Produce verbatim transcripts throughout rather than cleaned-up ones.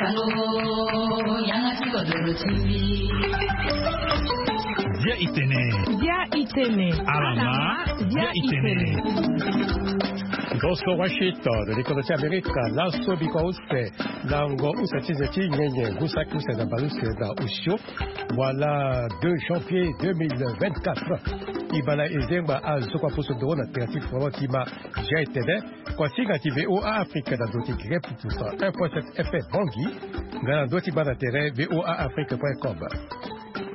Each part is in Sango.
Bia itene. Bia itene. Alama. Bia itene. Goso Washington, likolo ti Amerika, laso biko use, lango use ti nze ti nyenye, ngu saki use na baleuse na osio, wala deux janvier deux mille vingt-quatre. Ibala ezengba azo kua poso doro na tere ti foro ti ma, Jean Etene, kua singa ti V O A Afrique na ndo ti Grep Pusa un point sept F M Bangui, nga na ndo ti bana tere V O A Afrique point com.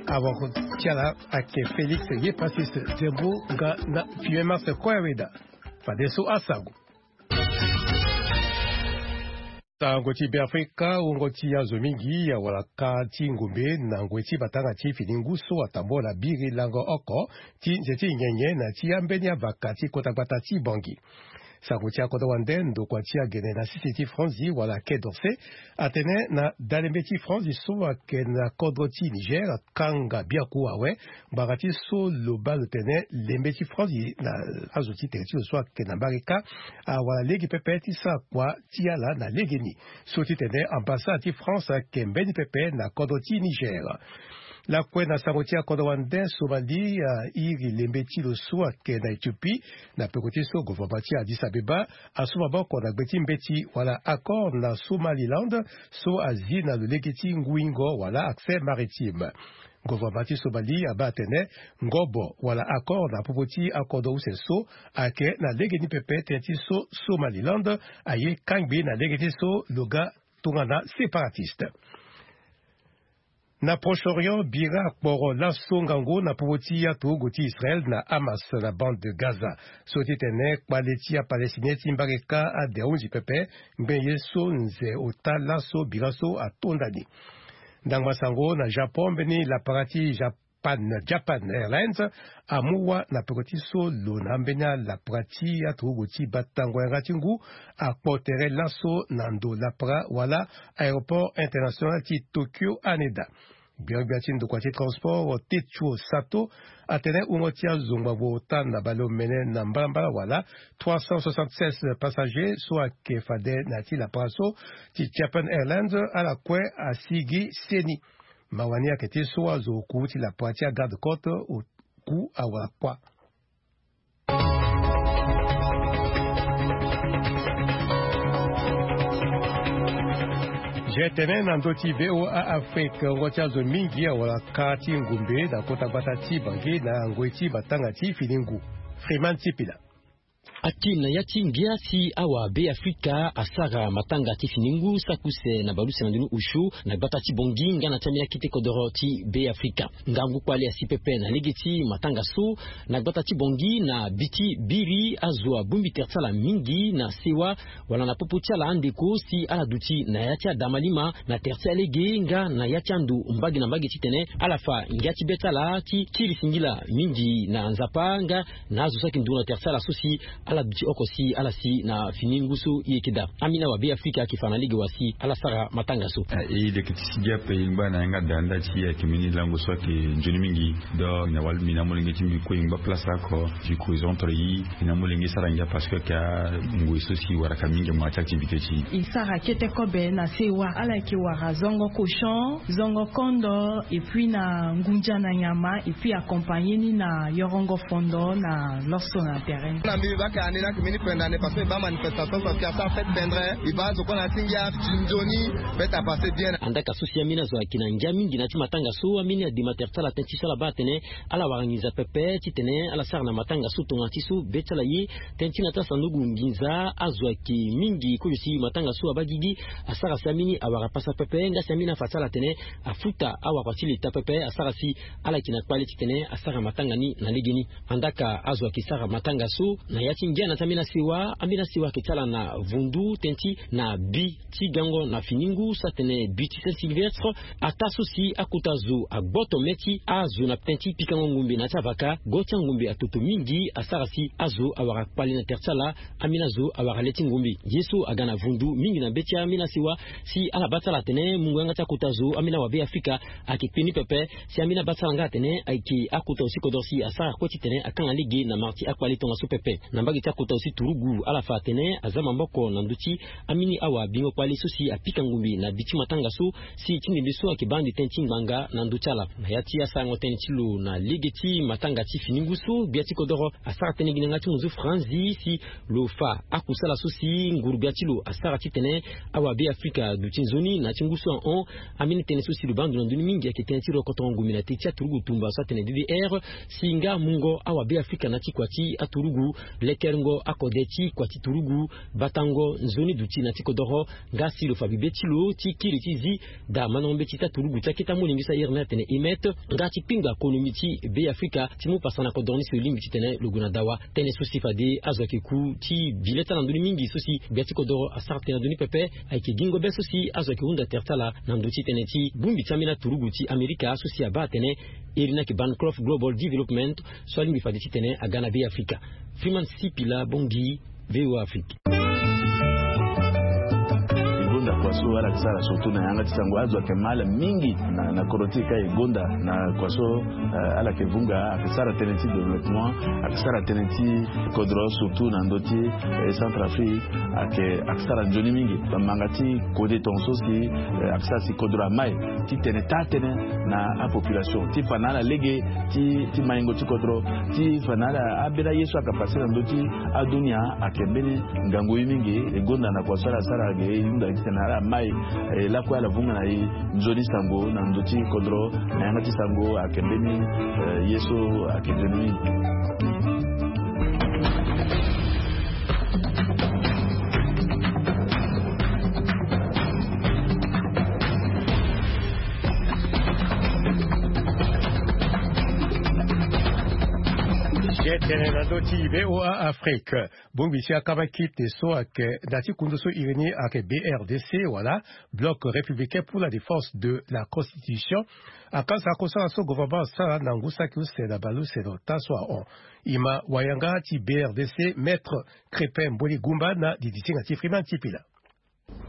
Awako ti ala ayeke Félix Yepasis Zembo nga na Filemon Koyaweda. Fadeso asango. Sango ti Beafrika, wungo ti azo mingi awara ka ti ngombe na ngoi ti matanga ti fini ngu so atambola biri lango oko ti nze ti nyenye na ti ambeni avaka ti kota gbata ti Bangui. Sango ti akodro wande ndokua ti agene na sese ti Franzi wala Quai d'Orsay atene na dalembe ti Franzi so ayeke na kodro ti Niger akanga biaku awe ngbanga ti so lo baa lo tene lembe ti Franzi na azo ti tere ti lo so ayeke na mbarika awara lege pepe ti sara kua ti ala na legeni. So ti tene ambassade ti France ayeke mbeni pepe na kodro ti Niger. Lakue na sango ti akodro wande, Somalie airi lembe ti lo so ayeke na Éthiopie na peko ti so gouvernement ti Addis Abeba asu maboko na gbe ti mbeti wala accord na Somaliland so azi na lo lege ti nguingo wala accès maritime. Gouvernement ti Somalie abaa atene ngobo wala accord na popo ti akodro use so ayeke na legeni pepe tënë ti so Somaliland aye kangbi na lege ti so lo ga tongana séparatiste. Na Proche-Orient, bira akporo laso ngangu na popo ti aturugu ti Israël na Hamas na bande de Gaza. So ti tene kpale ti aPalestinien ti mbarika ade ahunzi pepe ngbene ye so nze ota laso bira so atonda ni. Ndangba sango na Japon, mbeni lapara ti Japan, Japan Airlines amu wâ na peko ti so lo na ambeni alapara ti aturugu ti batango yanga ti ngu akpo tere laso na ndo lapara wala aéroport international ti Tokyo Haneda. Gbiangbia ti ndokua ti transport Tetsuo Sato atene wungo ti azo ngbangbo ota na baleomene na mbalambala wala trois cent soixante-seize passagers so ayeke fade na ya ti lapara so ti Japan Airlines ala kue asigi seni. Mawa ni ayeke ti so azo oku ti lapara ti agarde côte oku awara kua. Je tene na ndö ti V O A Afrique, wungo ti azo mingi awara ka ti ngombe na kota gbata ti Bangui na ngoi ti matanga ti fini ngu. Freeman Sipila. Akim na ya ti ngia si awa Beafrika asara matanga ti fini ngu saki use na baleuse na ndoni osio na gbata ti Bangui nga na ti ambeni akete kodoro ti Beafrika. Ngangu kpale asi pepe na lege ti matanga so na gbata ti Bangui na bi ti biri azo abongbi tere ti ala mingi na sewa wala na popo ti ala andeko si ala duti na ya ti adamalima na tere ti alege nga na ya ti ando mbage na mbage titene ala fa ngia ti be ti ala ti kiri singila mingi na Nzapa nga na azo so ayeke nduru na tere ti ala so si ala duti oko si ala si na fini ngu so e yeke daa. Ambeni awa Beafrika ayeke fa na lege wa si ala sara matanga so. Ah, e leke ti sigi ape e ngba na yanga daa nda ti e ayeke mbeni lango so ayeke nzoni mingi. Donc na wali mbi na molenge ti mbi kue e ngba place oko. Mbi kue e zo entre e, mbi na molenge e sara ngia parce que ayeke angoi so si e waraka mingi mo na ya ti activité ti e. E sara kete kobe na sewa, ala yeke wara zongo cochon, zongo kondo, et puis na ngunza na nyama, et puis accompagner ni na yorongo fondo na loso na terrain. Na mbi, mbi baa ka ande ni ayeke mbeni kue ndani parce que mbi baa manifestation so si asara fête bendre, mbi baa azo kue na ya ti ngia ti nzoni. Fête apasser bien. Andaka so si ambeni azo ayeke na ngia mingi na ya ti matanga so, ambeni adema tere ti ala tënë ti so ala baa atene ala wara nginza pepe titene ala sara na matanga so tongana ti so be ti ala ye. Tënë ti na ya ti asanduku nginza azo ayeke mingi kozo si matanga so abaa gigi asara si ambeni awara pasa pepe nga si ambeni afa ti ala atene afuta awakua ti leta pepe asara si ala yeke na kpale titene asara matanga ni na legeni. Andaka azo ayeke sara matanga so na ya ti ngia na ya ti ambeni asewa, ambeni asewa ayeke ti ala na vundu tënë ti na bi ti gango na fini ngu so atene bi ti Saint Sylvestre. Ataa so si akota zo agboto me ti azo na tënë ti pikango ngombe na ya ti avaka, go ti angombe atoto mingi asara si azo awara kpale na tere ti ala. Ambeni azo awara le ti ngombe. Ye so aga na vundu mingi na be ti ambeni asewa si ala baa ti ala atene mungo yanga ti akota zo ambeni awa Beafrika ayeke kpe ni pepe. Si ambeni abaa ti ala nga atene ayeke akota osi kodro si asara kue titene akanga lege na mara ti akpale tongaso pepe. Na mbage Ti akota so si turugu ala fa atene aza maboko na ndö ti amini awa bingo kpale so si apika ngumbi na bi ti matanga so, si ti ndembe so ayeke baa ande tënë ti ngbanga na ndö ti ala. Na ya ti asarango tënë ti lo na lege ti matanga ti fini ngu so gbia ti kodoro asara tënë gi na yanga ti monzo franzi si lo fa akusala so si nguru-gbia ti lo asara titene awa Beafrika aduti nzoni na ya ti ngu so ahon. Ambeni tënë so si lo baa ndo na ndö ni mingi ayeke tënë ti rokotongo ngumbi na te ti aturugu tumba so atene D D R, si nga mungo awa Beafrika na ya ti kua ti aturugu, lekerengo akode ti kua ti turugu, batango nzoni duti na ya ti kodoro, nga si lo fa bibe ti lo ti kiri ti zi daa mandango mbeti ti aturugu ti akete amolenge so ahiri ni atene E M E T, nga ti kpingba konomi ti Beafrika ti mu pasa na kodoro ni si lo lingbi titene lo gue na dawa. Tënë so si fade azo ayeke ku ti bi leta na ndö ni mingi so si gbia ti kodoro asara tënë na ndö ni pepe, ayeke gingo be so si azo ayeke hunda tere ti ala na ndö ti tënë ti bongbi ti ambeni aturugu ti Amerika so si abaa atene iri ni ayeke Bancroft Global Development, so alingbi fade titene aga na Beafrika. Freeman Sipila Bongi, V O A Afrique. E gonda kua so ala yeke sara surtout na yanga ti sango, azo ayeke ma ala mingi na, na kodro ti e ka e gonda na kua so, eh, ala yeke vunga, ayeke sara tënë ti développement, ayeke sara tënë ti kodro surtout na ndö ti, eh, Centrafrique, ayeke, ayeke sara nzoni mingi. Bamanga ti kode tongaso si, eh, ayeke sara si kodro amai titene taa tënë na apopulation ti fa na ala lege ti, ti maingo ti kodro, ti fa na ala ambeni aye so ayeke pase na ndö ti adunia ayeke mbeni ngangu ye mingi. E gonda na kua so ala sara ge e hunda titene ala mai, eh, lakue ala vunga na e nzoni sango na ndö ti kodro. Na yanga ti sango ayeke mbeni, eh, ye so ayeke nzoni mingi. Ge tene na ndö ti V O A Afrique. Bongbi ti akama kite so ayeke na ya ti kundu so iri ni ayeke B R D C wala Bloc Républicain pour la Défense de la Constitution, akasa kosala so gouvernement asara na ngu saki use na baleuse na ota so ahon. E ma wayanga ti B R D C, Maître Crépin Mboli Gumba, na didisinga ti Freeman Sipila.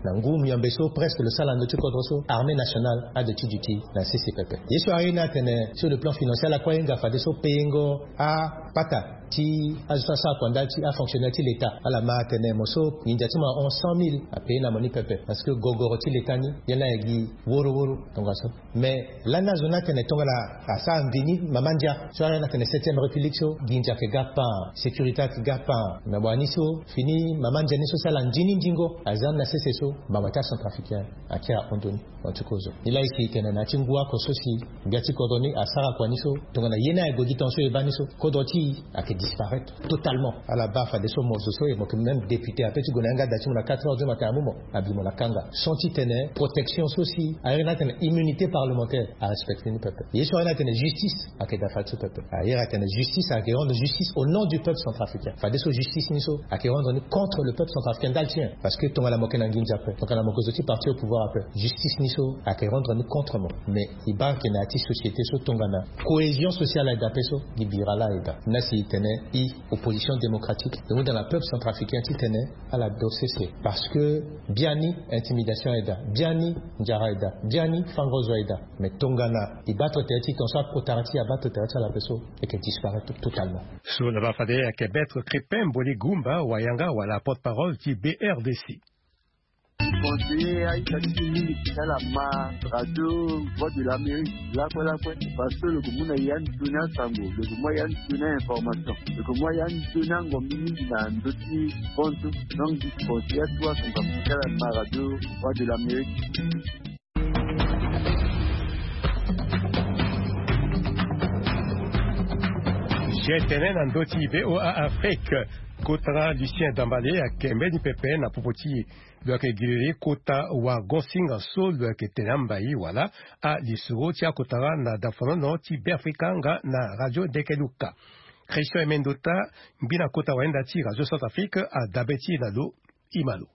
Na ngu miombe so presque lo sara na ndö ti kodro so, armée nationale aduti duti na sese pepe. Ye so aye ni atene sur le plan financier ala kue ahinga fadeso payengo apata ti azo so asara kua ndali ti afonctionnaire ti l'état, ala ma atene mo so nginza ti mo ahon cent mille, apaye na mo ni pepe, parce que gogoro ti l'état ni ye laa ayeke gi woro woro tongaso. Mais lani azo ni atene tongana asara mvini mama ndia so, ala ni atene septième république so, nginza ayeke ga pan, sécurité ayeke ga pan. Na wani so fini mama ndia ni so si ala ndi ni ndingo aza ni na sese so, mbamba ti acentrafricain ake ahon ndoni. En tout cas, ozo ni laa e si e tene na ya ti ngu oko so si gbia ti kodro ni asara kua ni so, tongana ye ni aye gue gi tongaso e baa ni so, kodro ti e ayeke disparaître totalement. Ala baa fadeso mo zo so e mo yeke même député ape ti gue na yanga da ti mo na quatre heures du matin amu mo, abi mo na kanga. Sans titene protection so si aye ni atene immunité parlementaire arespecte ni pepe. Ye so aye ni atene justice ayeke daa fadeso pepe. Aye ni atene justice ayeke rendre justice au nom du peuple centrafricain. Fadeso justice ni so ayeke rendre ni contre le peuple centrafricain ndali ti nyen? Parce que tongana mo yeke na nginza ape, tongana mo yeke zo ti parti au pouvoir ape, justice ni so ayeke rendre ni contre mo. Mais e baa ayeke na ya ti société so tongana cohésion sociale aye daa ape so, gi bira laa aye daa. Ni laa si e tene e opposition démocratique e hunda na peuple centrafricain titene ala do sese. Parce que biani intimidation aye daa, biani nzara aye daa, biani fango zo aye daa. Mais tongana e battre tere ti e tongaso akota ti e abattre tere ti ala ape so, e yeke disparaître totalement. So na baa fade ayeke Maître Crépin Mboli Gumba, wayanga wala porte-parole ti B R D C. Conseiller aita ti mingi ti ala ma radio Voix de l'Amérique lakue lakue, parce que lo yeke mu na e ande toni asango, lo yeke mu na e ande toni a-information, lo yeke mu na e ande toni angombi mingi na ndö ti fonds. Donc conseiller atu asango ti ala ma radio Voix de l'Amérique. Ge tene na ndö ti V O A Afrique. Kota Lucien Dambale ayeke mbeni pepe na popo ti e. Lo yeke giriri kota wago-singa so lo yeke tene ambai wala alisoro ti akota na dafonono ti Beafrika nga na radio Ndeke Luka. Christian Emendota, ngbi na kota wayenda ti radio Centrafrique, adabe ti e na lo. E ma lo.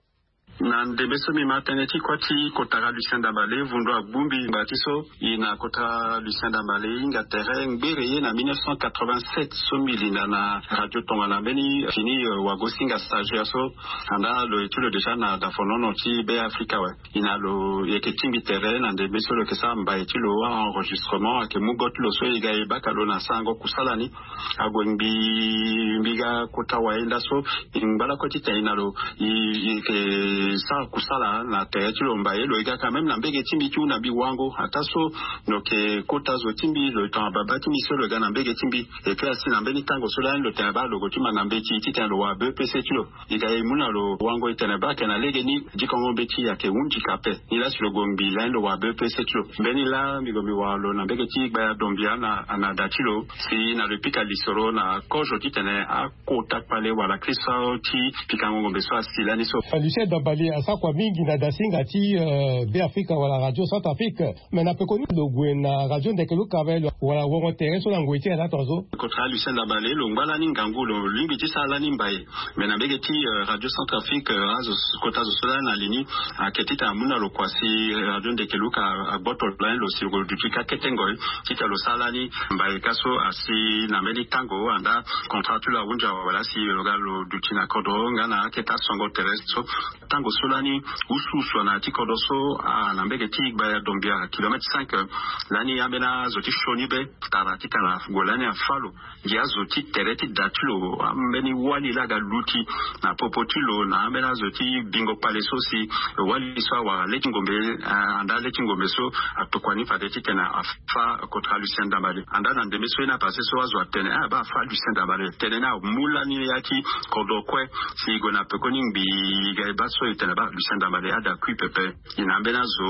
Na ndembe so mbi ma tënë ti kuâ ti kotara Lucien Dambale, vundu agbu mbi ngbanga ti so. E na kotara Lucien Dambale e hinga tere ngbere ye na mille neuf cent quatre-vingt-sept so mbi linda na radio tongana mbeni fini, euh, wago-singa stagiaire so. Andaa lo ye ti lo déjà na dafonono ti Be Afrika awe. E na lo yeke tingbi tere na ndembe so lo yeke sara mbai ti lo, a-enregistrement, ayeke mu go ti lo so e ga e baka lo na sarango kusala ni. Ague ngbii, mbi ga kota wayenda so, e ngba lakue titene e na lo, e, e yeke sara kusala na tere ti lo mbai. Lo e ga quand même na mbege ti mbi ti hunda mbi wango. Ataa so lo yeke kota zo ti mbi, lo tongana babâ ti mbi so lo e ga na mbege ti mbi. Et puis asi na mbeni tango so lani lo tene baa lo gue ti ma na mbeti titene lo wara B E P C ti lo. E ga e mu na lo wango e tene baa ayeke na legeni dikongo mbeti ayeke hunzi ka ape. Nilaa si lo gue ngbii lani lo wara B E P C ti lo. Mbeni laa mbi gue mbi wara lo na mbege ti Gbaya Dombia na, na da ti lo. Si na lo pika lisoro na kozo titene akota kpale wala kristo ti pikango ngombe so asi lani so. Lucien Dambale asara kua mingi na dasinga ti, euh, Be Afrika wala Radio Centrafrique. Me na pekoni lo gue na radio ndeke luka awe wala wongo tere so na ngoi ti ala tongaso. Kotara Lucien Dambale lo ngba lani ngangu, lo lingbi ti sara lani mbai. Me na mbege ti, euh, Radio Centrafrique, euh, azo, kota zo so lani na li ni, ayeke titene amu na lo kua si radio ndeke luka agboto lani lo si lo duti ka kete ngoi titene lo sara lani mbai. Ka so asi na mbeni tango andaa contrat ti lo ahunzi awe wala si lo ga lo duti na kodro nga na akete asongo tere so. Tango so lani usu usu ana ti kodro so, ah, na mbege ti Gbaya Dombia, kilomètre cinq, lani ambeni azo ti sioni be tara titene ague lani afâ lo. Ngia azo ti tere ti da ti lo, ambeni wali laa aga luti na popo ti lo na ambeni azo ti bingo kpale so si wali so awara le ti ngombe, ah, andaa le ti ngombe so atokua ni fade titene afâ kotara Lucien Dambale. Andaa na ndembe so ye ni apase so azo atene, ah, baa afâ Lucien Dambale. Tene ni amu lani ya ti kodro kue. Si e gue na pekoni ngbii e ga e baa so e tene baa Lucien Dambale ada kui pepe. E na ambeni azo,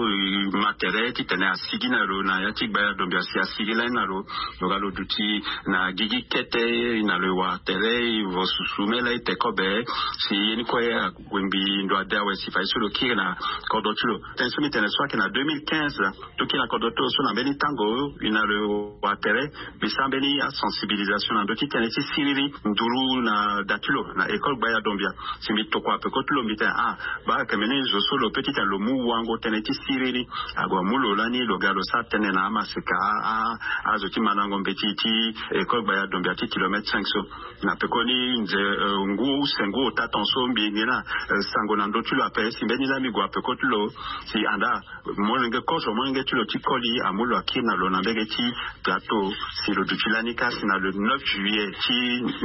e ma tere titene asigi na lo na ya ti Gbaya Dombia si asigi lani na lo. Lo ga lo duti na gigi kete, e na lo e wara tere, e vo susu me laa e te kobe. Si ye ni kue ague ngbii ndo ade awe si fade so lo kiri na kodro ti lo. Tënë so mbi tene so ayeke na deux mille quinze. Toki na kodro ti lo so na mbeni tango e na lo wara tere, mbi sara mbeni asensibilisation na ndö ti tënë ti siriri nduru na da ti lo na école Gbaya Dombia. Si mbi tokua peko ti lo mbi tene, ah, baa ayeke mbeni zo so lo peut titene lo mu wango tënë ti siriri. Ague amu lo lani lo ga lo sara tënë na amaseka, ah, ah, azo ti mandango mbeti ti école Gbaya Dombia ti kilomètre cinq so. Na pekoni nze, euh, ngu use ngu ota tongaso mbi ngi na, euh, sango na ndö ti lo ape si mbeni laa mbi gue peko ti lo. Si andaa molenge kozo molenge ti lo ti koli amu lo akiri na lo na mbege ti plateau. Si lo duti lani ka si na le neuf juillet ti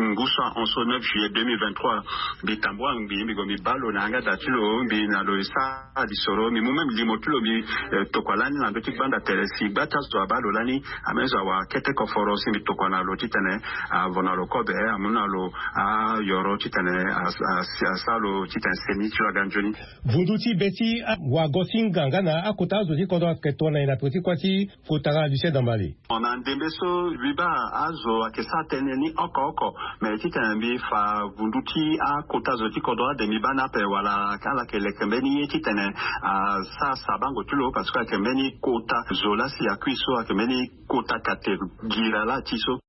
ngu so ahon so, neuf juillet deux mille vingt-trois, mbi tambua ngbii mbi gue mbi baa lo na yanga da ti lo, mbi na lo e sara lisoro, mbi mu même limo ti lo mbi, eh, tokua lani na ndö ti gbanda tere si gba ti azo abaa lo lani, ambeni zo awara kete koforo si mbi tokua na lo titene avo na lo kobe, amu na lo ayoro titene a, a, asara lo titene seni ti lo aga nzoni. Vundu ti be ti a, wago-singa nga na akota azo ti kodro ayeke tongana e na peko ti kuâ ti kotara Lucien Dambale. Na ndembe so mbi baa azo ayeke sara tënë ni oko oko. Me titene mbi fa vundu ti akota zo ti kodro ade mbi baa ni ape wala ala yeke leke mbeni ye titene asara sabango ti lo parce que ayeke mbeni kota zo laa si akui so ayeke mbeni kota kate gira laa ti so.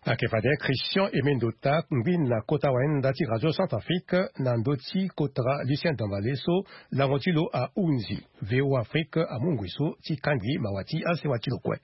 Ayeke fade Christian Aimé Ndota, ngbeni na kota wayenda ti Radio Centrafrique na ndö ti kotara Lucien Dambale so lango ti lo ahunzi. V O A Afrique amu ngoi so ti kangbi mawa ti asewa ti lo kue.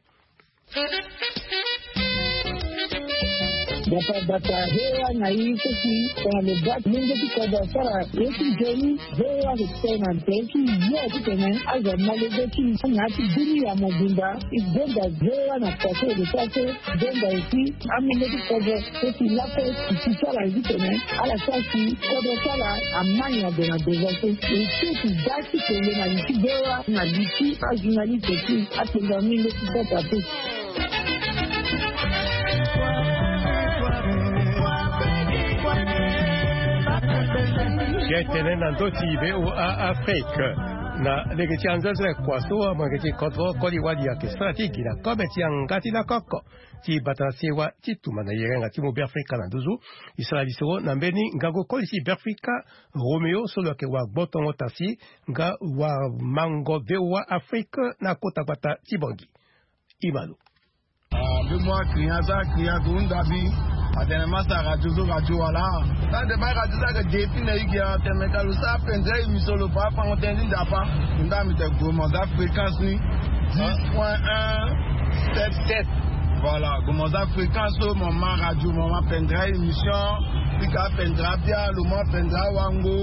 Bata bata V O A na i so si tongana lo baa molenge ti kodro asara ye ti nzoni, V O A ayeke tene na tere ti yo titene azo amolenge ti na ya ti dunia mobimba. E gonda V O A na kua so e lo sara so, gonda aussi amolenge ti kodro so si lakue e si ti ala titene ala sara si kodro ti ala amai na gue na devant so. E ti e si da ti kele na li ti V O A na li ti ajournaliste ti atenga mingi ti sasa te. Ye tene na ndö ti V O A Afrique. Na lege ti anzenze kua so amolenge ti kodro koli wali ayeke sara ti gi na kobe ti yanga ti lakoko ti bata na sewa ti tumba na yerenga ti mu Beafrika na nduzu. E sara lisoro na mbeni ngangu koli ti Beafrika, Roméo so lo yeke wagbotongo tasi nga wamango V O A Afrique na kota gbata ti Bangui. Ima lo. Ah, mbi mu akiri aza akiri adu ndabi. Atene masa radio zo radio wala. Sa de ba radio sa ke depi na igi atene ka lo sa pendra émission lo pa pango tene ni nzapa. Nda mi te gomo za fréquence ni dix point un sept sept. Voilà, gomo za fréquence so mo ma radio mo ma pendra émission. Pika pendra bia lo ma pendra wango.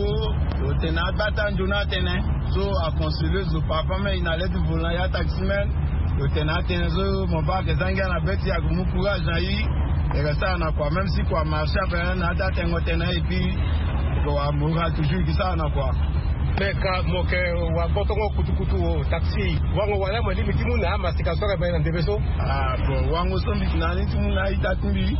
Lo tene abata nzoni atene. So a conseiller zo papa me ina leti volant ya taximen. Lo tene atene so mo ba ke zangi ana beti ya gumu courage na yi. E ke sara na kua même si kua marché ape na ata tengo tene et puis ko wa moral toujours ki sara na kua. Me ka mo ke wa gbotongo kutukutu o taxi wango wala mo lingbi ti mu na amasika so ake bale na ndembe so. Ah bon, wango so mbi ti na ni ti mu na ita ti mbi.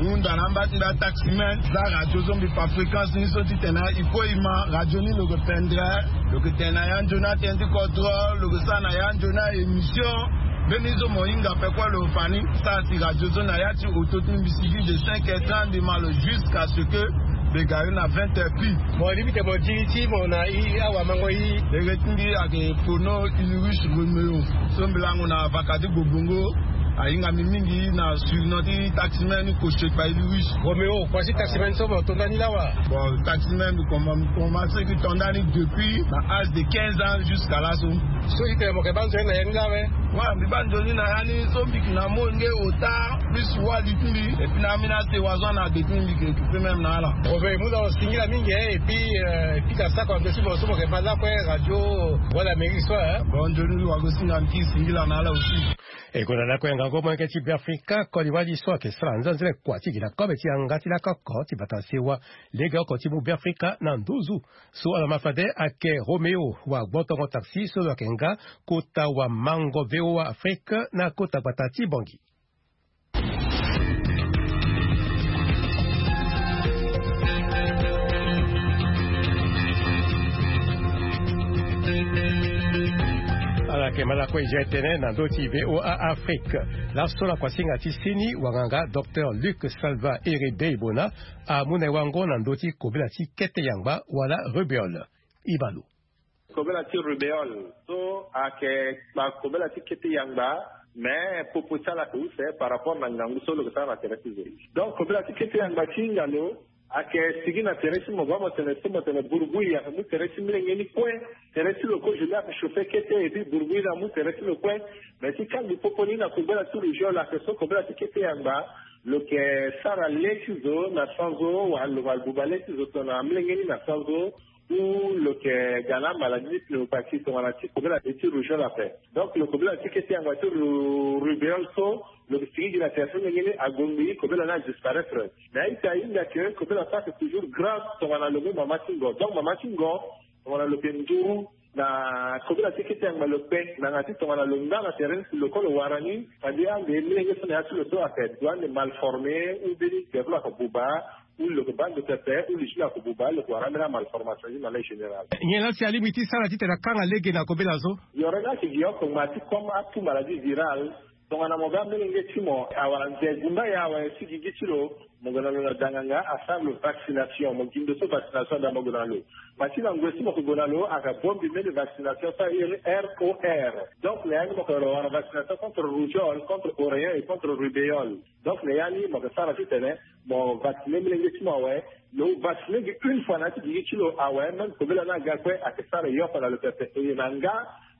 Hunda na mba ti mbi ataximen za radio so mbi pa fréquence ni so ti tene il faut ima radio ni lo ke pendra. Lo ke tene na ya nzoni atene ti kodro lo ke sara na ya nzoni a émission. Mbeni so mo hinga pe kue lo fa ni. Sara si radio so na ya ti auto ti mbi sigi de cinq heures trente mbi ma lo jusqu'à ce que mbi ga yo na vingt heures pile. Mo lingbi te mo di ti mo na i awamango i. Ere ti mbi ayeke Pono Ulrich Romeo. So mbi lango na vaka ti Gbobongo. Ahinga mbi mingi na surnom ti taximen ni Koshekpa Ulrich. Romeo, kua ti taximen so mo to ndani lawa? Bon, taximen mbi commencé ki to ndani depuis na âge de quinze ans jusqu'à là so. So ti tene mo ke ba nzoni na ya ni lawe? Wa mbi ba nzoni na ya ni so mbi ki na molenge ota plus wali ti mbi. Et puis na ambeni asewa so ana depuis mbi ke occuper même na ala. Romeo, e mu na lo singila mingi, hein, et puis euh, et puis ka sako ando ti mo so mo ke ma lakue radio Voix d'Amérique so, hein. Bon nzoni wago singa mbi ki singila na ala aussi. E gue na lakue ngangu molenge ti Beafrika, koli wali so ayeke sara nzanzele kua ti gi na kobe ti yanga ti lakoko ti bata sewa lege oko ti mu Beafrika na nduzu. So ala ma fade ayeke Romeo wa gbotongo taxi so lo yeke nga kota wamango V O A Afrique na kota gbata ti Bangui. Ala yeke ma lakue e zia e tene na ndö ti V O A Afrique. Laso na kuasinga ti seni wanganga docteur Luc Salva Ere Beibona amu na e wango na ndö ti kobela ti kete yangba wala rubéole. Iba lo. Kobela ti rubéole so ayeke kobela ti kete yangba. Mais popo ti ala ayeke use par rapport na ngangu so lo yeke sara na tere ti zo. Donc kobela ti kete yangba ti hinga lo ayeke sigi na tere ti mo baa mo tene so mo tene burubui ayeke mu tere ti molenge ni kue. Tere ti lo kozo ni ayeke chauffer kete et puis burubui ni amu tere ti lo kue. Mais ti kangbi popo ni na kobela ti rubéole ayeke so kobela ti kete yangba lo yeke sara le ti zo na sanzo wala lo ma buba le ti zo tongana molenge ni na sanzo. Ou lo yeke ga na maladie ti pneumopathie tongana ti kobela ti rubéole ape. Donc lo kobela ti kete yangba ti rubéole so lo yeke sigi gi na tere so ndenge ni ague ngbii kobela ni adisparaître. Mais a-ita ahinga ke kobela so ayeke toujours grave tongana lo mu mama ti ngo. Donc mama ti ngo tongana lo yeke nduru na kobela ti kete yangba lo kpe na yanga ti tongana lo nga na tere ni si lo kue lo wara ni. Fade ande molenge so na ya ti lo so ayeke doit ande mal formé ou mbeni gere ti lo ayeke buba. Ou lo yeke baa ndo pepe ou li ti lo ayeke buba lo yeke wara ambeni amalformation ni na lege général. Nyen laa si alingbi ti sara titene akanga lege na kobela so? Yoro ni ayeke gi oko ngba ti comme atout maladie virale. Tongana mo baa molenge ti mo awara nze gumba ye awe ti gigi ti lo, mo gue na lo na danganga asara lo vaccination, mo gi ndo so vaccination ada mo gue na lo. Ma ti na ngoi so mo yeke gue na lo ayeke bongbi mbeni vaccination so airi R O R. Donc na ya ni mo yeke lo wara vaccination contre rougeole, contre oreillon et contre rubéole. Donc na ya ni mo yeke sara titene mo vacciner molenge ti mo awe. Lo vacciner gi une fois na ya ti gigi ti lo awe, même kobela ni aga kue ayeke sara e yoko na lo pepe. E na nga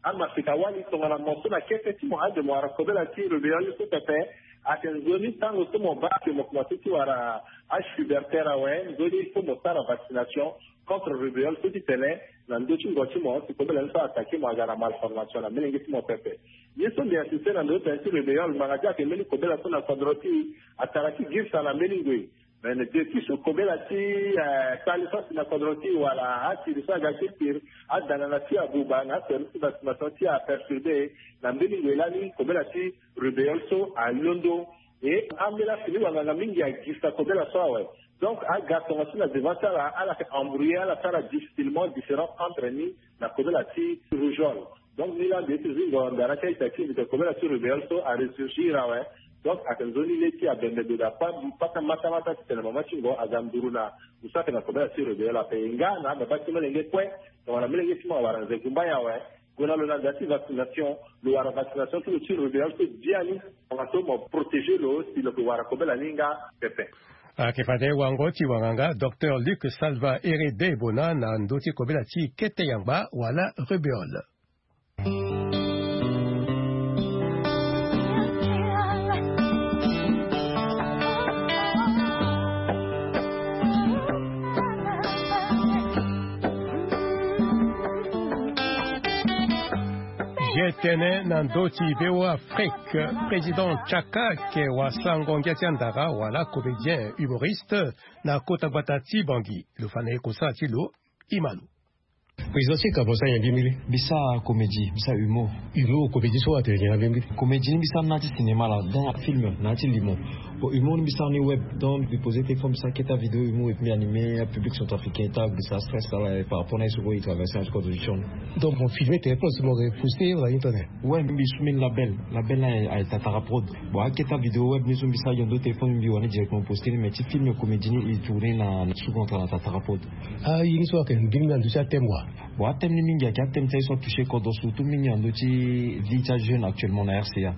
amasika wali tongana mo so na kete ti mo ade mo wara kobela ti rubéole so pepe. Ayeke nzoni tango so mo baa ke mo komanse ti wara âge pubertaire awe, nzoni il faut mo sara vaccination contre rubéole so ti tene na ndö ti ngo ti mo si kobela ni so attaqué mo aga na malformation na molenge ti mo pepe. Ye so mbi insisté na ndö ti tene ti rubéole ngbanga ti ayeke mbeni kobela so na kodro ti atara ti girisa na mbeni ngoi. Mais depuis so kobela ti kpali so asi na kodro ti wala asiri so aga ti pire, adangana ti abuba na aservice ti vaccination ti aperturbé. Na mbeni ngoi lani kobela ti rubéole so alondo. E ambeni afini wanganga mingi agirisa kobela so awe. Donc aga tongaso na devant ti ala, ala yeke embrouillé, ala sara difficilement différence entre ni na kobela ti rougeole. Donc ni laa mbi ye ti zingo ndara ti a-ita ti mbi tene kobela ti rubéole so aressurgir awe. Donc ayeke nzoni le ti abembe gue daa pata matamata titene mama ti ngo aga nduru na ngu so ayeke na kobela ti rubéole ape. E nga na ababa ti molenge kue tongana molenge ti mo awara nze gumba ye awe. Gue na lo na nda ti vaccination, lo wara vaccination ti lo ti rubéole so biani. Tongaso mo protéger lo si lo ke wara kobela ni nga pepe. Ayeke fade wango ti wanganga docteur Luc Salva Herede Bona na ndö ti kobela ti kete yangba wala rubéole. Ye tënë na ndö ti V O A Afrique. Président Tchaka ayeke wasango ngia ti andara wala comédien humoriste na kota gbata ti Bangui. Lo fa na ye kosala ti lo. Imalo. Président Tchaka, mo sara nyen mbirimbiri? Mbi sara comédie, mbi sara humour. Humour, comédie so atene nyen na mbirimbiri? Comédie ni mbi sara na ti cinéma la, donc film na ti limo. Bon, humour ni mbi sara ni web, donc mbi poser téléphone, mbi sara keta vidéo humour et puis mbi animer public centrafricain ti agrisa stress ala par rapport na ye so kue e traverser na ti kodro ti tion. Donc mo filmer téléphone so mo ke poster wala ni tene? Ouais, mbi sumini label, label na aye Tatara Prod. Bon, aketa vidéo web ni so mbi sara yando téléphone mbi wani directement poster ni, mais ti film comédie ni e tourner na sous contrat na Tatara Prod. Ah, ye ni so ayeke mbirimbiri na ndö ti athème wa? Bon, athème ni mingi ayeke athème ti aye so atoucher kodro, surtout mingi na ndö ti vie ti ajeune actuellement na R C A.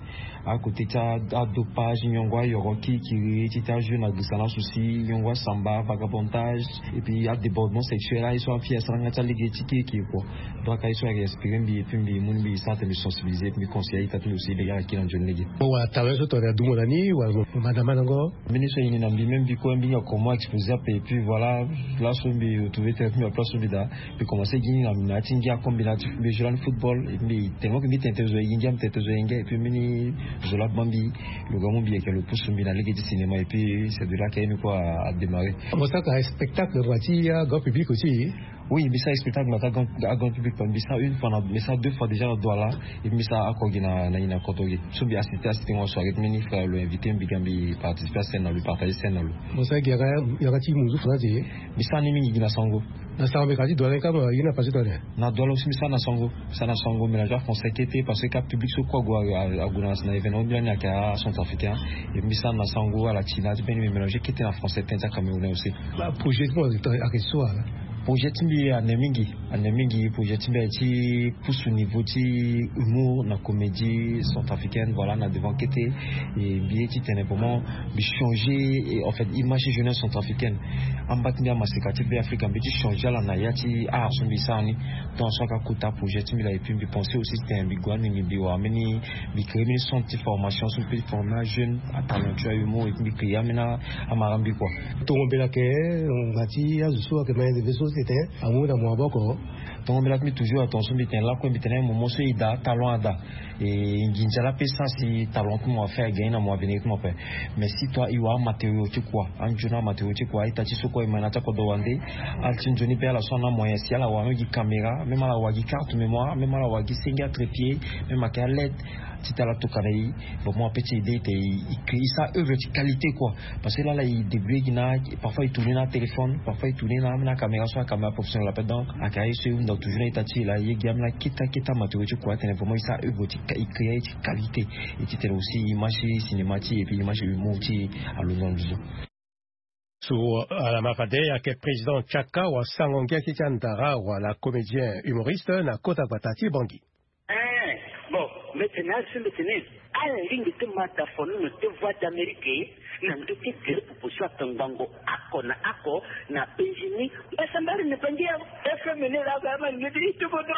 Akote ti adopage, nyongo ayoro kirikiri ti ti ajeune agrisa na souci, nyongo asamba, vagabondage, et puis adébordement sexuel, aye so afille asara nga ti alege ti kirikiri kua. Donc aye so ayeke inspiré mbi et puis mbi mu ni mbi sara tene mbi sensibiliser et puis mbi conseiller aita ti mbi aussi lege ala kiri na nzoni lege. Mo wara talent so tongana adumo na ni wala mo manda mandango? Mbeni so e ni na mbi même mbi kue mbi hinga comment exposer ape et puis voilà. Laso mbi retrouver tene mbi na place so mbi daa. Mbi commencer gi na na ti ngia comme mbi na ti mbi joue lani football et mbi tellement que mbi tene tene zo e gi ngia mbi tene tene zo e ngia et puis mbeni zo laa baa mbi. Lo ga mu mbi yeke lo pusu mbi na lege ti cinéma et puis c'est de là que ye ni kue a démarrer. Mo sara ka spectacle ngba ti grand public aussi? Oui, mbi sara spectacle na ti grand public, mbi sara une fois na mbi sara deux fois déjà na Douala. Et mbi sara oko gi na na kodro gi so mbi assisté assisté ngo soirée ti mbeni frère lo invité mbi ga mbi participer à scène na lo, partager scène na lo. Mo sara gi yanga yanga ti muzu fana ti? Mbi sara ni mingi gi na Sango. Na Sango mbi ka ti Douala ni kama ye na passé tene? Na Douala aussi mbi sara na Sango. Mbi sara na Sango mélange français kete parce que ka public so kue ague ague na événement mbi lani ayeke acentrafricain. Et mbi sara na Sango ala ti na ti mbeni mbi mélange kete na français tene ti acamerounais aussi. Projet ti mo ayeke so wala? Projet ti mbi ane mingi. Ane mingi projet ti mbi aye ti pusu niveau ti humour na comédie centrafricaine, voilà, na devant kete. Et mbi ye ti tene vraiment mbi changer et en fait image ti jeunesse centrafricaine. Amba ti mbi amaseka ti be africa mbi ti changer ala na ya ti art so mbi sara ni. Donc so aka kota projet ti mbi la et puis mbi penser aussi ti tene mbi gue amini mbi wara mbeni mbi créer mbeni centre ti formation so mbi peut ti former ajeune atalentueux ahumour et puis mbi créer ambeni amara mbi kua. Tongo mbela ayeke ngbanga ti azo so ayeke mayende ve so si tene amu na mo maboko. Tongo mbela ti mbi toujours atongo so mbi tene lakue mbi tene moment so e daa talent ada. E nginza la ape sara si talent ti mo afaire agagner na mo avenir ti mo ape. Mais si toi e wara amatériau ti kua anzoni amatériau ti kua aita ti so kue e ma na ti akodro wande. Ala ti nzoni be ala so ana amoyen si ala wara même gi caméra même ala wara gi carte mémoire même ala wara gi senge atrépied même ayeke aled. Ti tala tokana e. Bon mo ape ti ede ete e créer sa œuvre ti qualité kua. Parce que lala e débrouiller gi na parfois e tourner na téléphone parfois e tourner na amena caméra so acaméra professionnel ape donc ayeke aye so e hunda toujours na ita ti e la ye gi amena keta keta matériau ti kua atene vraiment e sa œuvre ti e créer aye ti qualité. E ti tene aussi image ti cinéma ti e et puis image ti humour ti e alondo na nduzu. So ala ma fade ayeke président Tchaka wasango ngia ti ti andara wala comédien humoriste na kota gbata ti Bangui. Eh, bon, mbi tene asi mbi tene ala lingbi ti mata fonono ti Voix d'Amérique na ndö ti gere popo so atongbango ako na ako na penzi ni. Mbasambari na pangi ya F M ni la ba ma ni ti tobodo.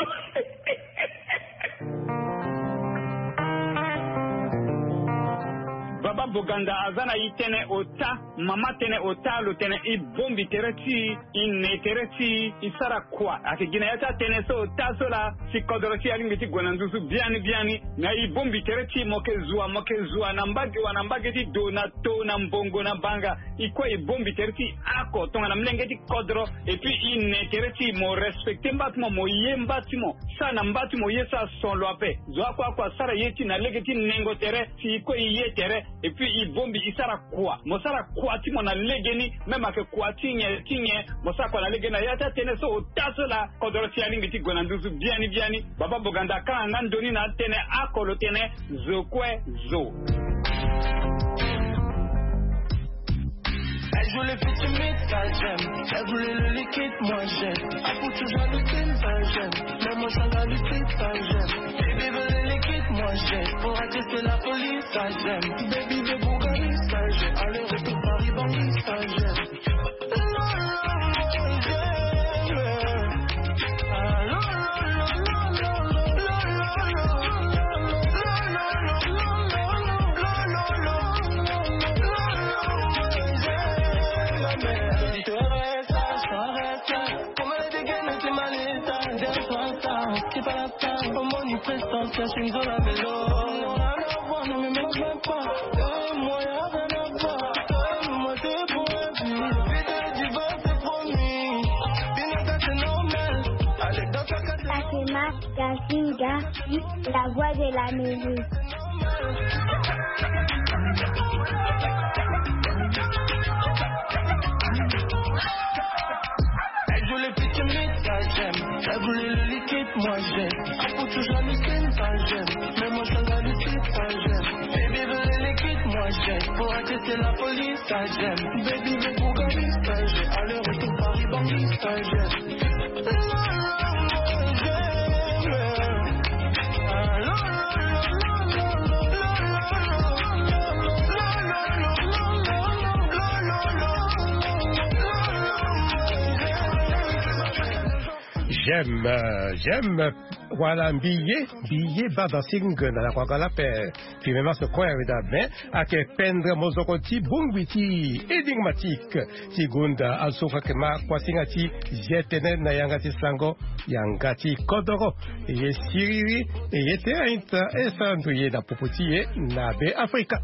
Baba Boganda aza na e tënë ota. Mama tënë ota lo tene e bombi tere ti e, e ne tere ti e, e sara kua. Ayeke gi na ya ti atënë so ota so laa si kodro ti e alingbi ti gue na nduzu biani biani. Me e bombi tere ti e, mo yeke zua mo yeke zua na mbage wa na mbage ti do na to na mbongo na banga. E kue e bombi tere ti e oko tongana molenge ti kodro. Et puis e ne tere ti e, mo respecter mba ti mo, mo ye mba ti mo. Sara na mba ti mo ye so ason lo ape. Zo oko oko asara ye ti e na lege ti nengo tere si e kue e ye tere. Et puis e bombi e sara kua, mo sara kua ti mo na legeni. Même ayeke kua ti nyen ti nyen, mo sara kua na legeni na ya ti atënë so ota so laa kodro ti e alingbi ti gue na nduzu biani biani. Baba Boganda akanga nga ndoni na atënë oko lo tene zo kue zo. Je voulais plus timide, ça j'aime. Elle voulait le liquide, moi j'aime. Apou toujours le film, ça j'aime. Même moi, ça va le film, ça j'aime. Baby veut le liquide, moi j'aime. Pour attirer la police, ça j'aime. Baby veut Bugatti, ça j'aime. Aller-retour Paris, Bangui, ça j'aime. Fatima Gasinga, la voix de la musique. Elle voulait plus timide, ça j'aime. Elle voulait le liquide, moi j'aime. Apou toujours le film, ça j'aime. Même moi, ça va le film, ça j'aime. Baby veut le liquide, moi j'aime. Pour attirer la police, ça j'aime. Baby veut Bugatti, ça j'aime. Aller-retour Paris, Bangui, ça j'aime. J'aime, euh, j'aime. Voilà, mbi ye, mbi ye ba dancing na la kwagala pe. Puis même ce coin avec la main, ake pendre mozoko ti bongbi ti énigmatique. Ti gonda azo ka ke ma kuasinga ti zi tene na yanga ti sango, yanga ti kodoro. E ye siriri, e ye te ainta, e sa ndo ye na popo ti ye na Be Afrika.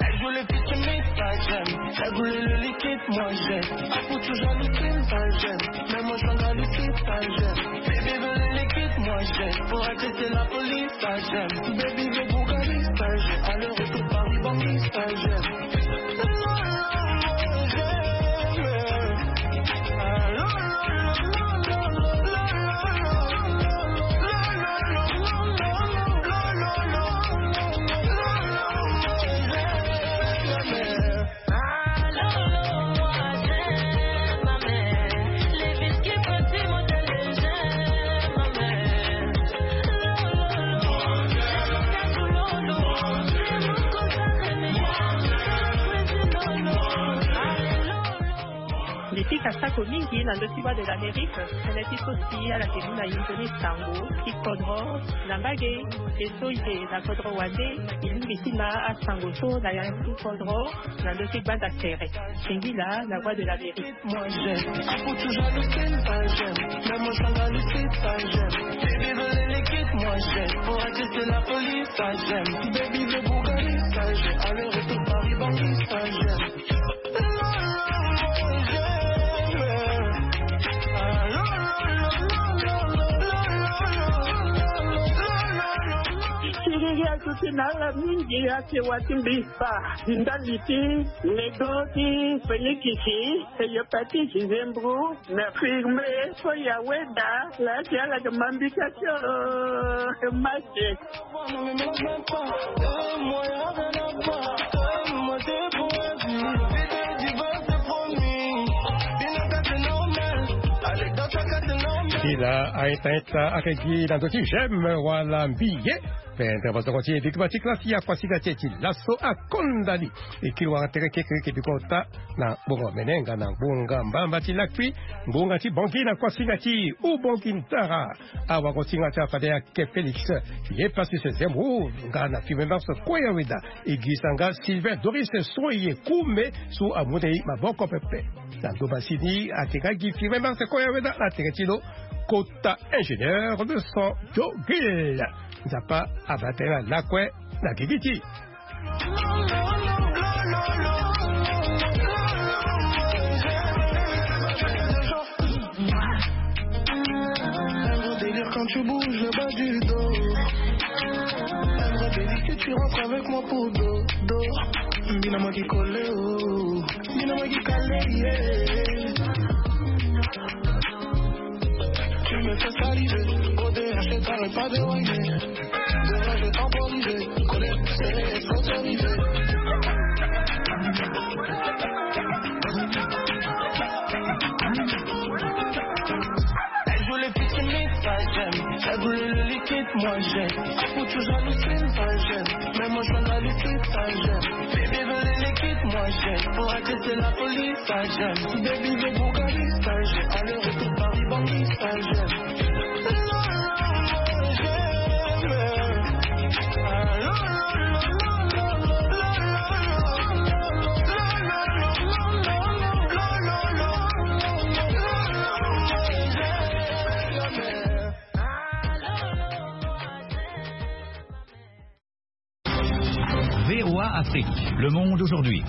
Elle voulait plus timide, ça j'aime. Elle voulait le liquide, moi j'aime. Apou toujours le film, ça j'aime. Même moi, ça va le film, ça j'aime. Baby veut le liquide, moi j'aime. Pour attirer la police, ça j'aime. Baby veut Bugatti, ça j'aime. Aller-retour Paris, Bangui, ça j'aime. Mbi pika sako mingi na ndö ti Voix de l'Amérique, tënë ti so si ala ke mu na hingo ni sango ti kodro na mbage. E so e yeke na kodro wande, e lingbi ti na asango so na yanga ti kodro na ndö ti gbanda tere. Singila na Voix de l'Amérique. Moi j'aime, Apou toujours le film, ça j'aime. Même moi, ça va le film, ça j'aime. Baby veut le liquide, moi j'aime. Pour attirer la police, ça j'aime. Baby veut Bugatti, ça j'aime. Aller-retour Paris, Bangui, ça j'aime. Siriri azo ti na ala mingi ake wa ti mbi fa. Ndali ti ledo ti fenikisi, eyo peti zizembru, na firme so ya weda la ti ala ke mambika ti o mate. Ti la a-ita-ita ake gi na ndö ti j'aime wala mbi ye. Pendre mozoko ti e bigba ti klasi ya kuasinga ti e ti laso akonda ni. E kiri wara tere kekereke bikota na ngbonga omene nga na ngbonga mbamba ti lakui, ngbonga ti Bangui na kuasinga ti Ubangui Ntara. Awagosinga ti afade ake Félix, ye Pacifique Zemmour nga na Firmin Mars Koyaweda. E gi sanga Sylvain Doris Soye Koume so amu na e maboko pepe. Na ndo masini ake nga gi Firmin Mars Koyaweda na tere ti lo kota ingénieur de son Dogil. Nzapa abaa tënë na lakue na gigi ti e. Un gros délire quand tu bouges le bas du dos. Un gros délire si tu rentres avec moi pour do, do. Mina magi collé, oh. Mina magi calé, yeah. Fais saliver, O D H, t'arrêtes pas de whiner. De là, je temporisais, colère, c'est, c'est arrivé. Elle voulait piscine, ça j'aime. Elle voulait le liquide, moi j'aime. Faut toujours le film, ça j'aime. Mais moi je suis dans le slip, ça j'aime. Bébé veut le liquide, moi j'aime. Pour agresser la police, ça j'aime. Baby veut Bugatti, ça j'aime. Aller-retour Paris, Bangui, ça j'aime. V O A Afrique, le monde aujourd'hui.